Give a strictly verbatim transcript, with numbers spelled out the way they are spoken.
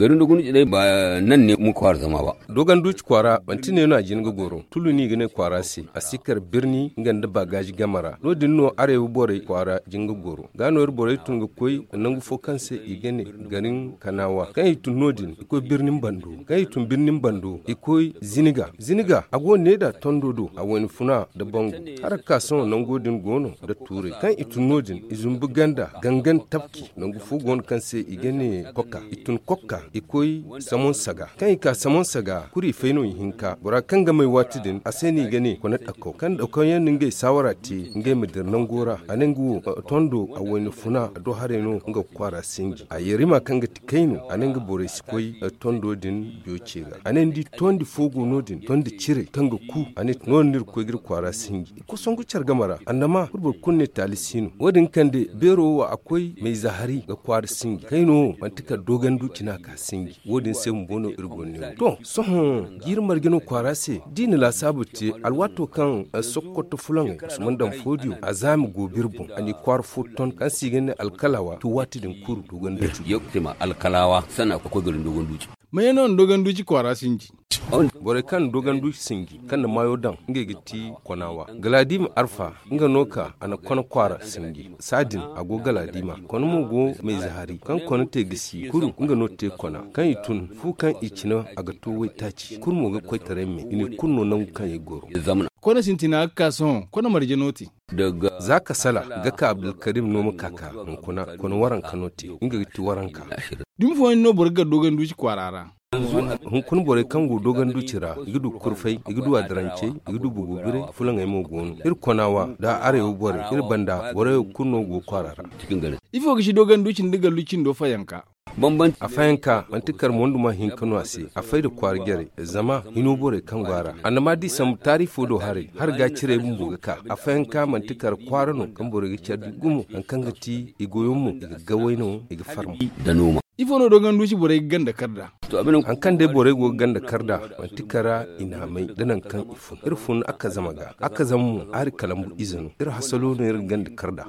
Garin dogon duci day ba nan ne mu kwaara zama ba. Dogon duci kwaara manti ne no a jin ga goro tulu no i ga ne kwaara se. A si kar birni nga nda baagaaji game ra no- din no arewa borey kwaara jin ga goro ga no iri borey tun ga koy nangu fo kaŋ se i ga ne garin kanaawa kaŋ i tun no- din i koy birnin bando. Kaŋ i tun birnin bando i koy ziniga ziniga a go ne da tondo do a wayna funa nda bangu. Hala ga ka sohõ nango din go no nda tuuray kaŋ i tun no- din i zumbu ganda gangan tabki nangu fo go no kaŋ se i ga ne koka i tun koka i koy samon saga kaŋ i ka samon saga kuri fay no i hinka bora kaŋ ga may waati din a se no i ga ne kone dakaw kaŋ dakaw yaŋ na ngey saawara te ngey ma dira nango ra a ne nga wo tondo a wayna funa a do haray no nga ga kwaara sinji a yarima kaŋ ga ti kayno a ne nga borey si koy tondo din biyo ce ga a ne ni di tondi fo go no- din tondi ciray kaŋ ga ku a ne no- din no iri ga koy ga iri kwaara sinji. Kosongu care game ra annama kulu boro kulu ne taali si no wo- din kande beero wo a koy mayze hari ga kwaara sinji kayno wo manti kala dogon duci no a ka sinji wo- din se bumbo no iri go ne wo to sohõ jiiri marje no kwaara se da i na laasaabu te alwaato kaŋ sokoto fulaŋey usman daŋ foodiyo a zaami go biri boŋ a n'i kwaara fo ton kaŋ se i ga ne alkalawa to waati din kuru dogon duci. Alkalawa sana ga koy garin dogon duci. Maye no na dogon duci kwaara sinji. Borey kaŋ na dogon duci sinji kaŋ na maayo daŋ ngey ga ti konawa galadima arfa nga no ka a na kona kwaara sinji saadin a go galadima kona mo go mayze hari kaŋ kona te gisi kuru nga no te kona kaŋ i tun fu kaŋ i cina a ga to waytaaci kulu mo ga koytaray me i ne kulu no nangu kaŋ i goro. Kona sintina ga ka sohõ kona marje no te. Za ka sala ga ka abdulkarim no ma ka ka hunkuna kona waranka no te nga ga ti waranka. Dumi fooyaŋ no boro ga gar dogon duci kwaara ra. Hunkuna borey kaŋ go dogon duci ra i ga du kurfay i ga du adarancey i ga du bugubiray fulaŋey mo go no iri kona wa da arewa borey iri banda borey wo kulu no go kwaara ra. Ifo ga si dogon duci nda gallu cindo fayanka? A fayanka manti kar monduma hinka no a se a fay da kwaara jarey zama hino borey kaŋ go a ra annama da i sambu taari fo do haray har ga ciray bumbo ga ka a fayanka manti kar kwaara no kaŋ borey ga care di gumo hari kaŋ ga ti i goyo mo i ga gaway no i ga farma. Ifo no dogon duci borey ga ganda kar da? Hari kaŋ day borey go ga ganda kar da manti kar i na a may da nangu kaŋ i fun iri fun akkazama ga akkazama mo hari kalambu ize no iri hasalo no iri ga ganda kar da.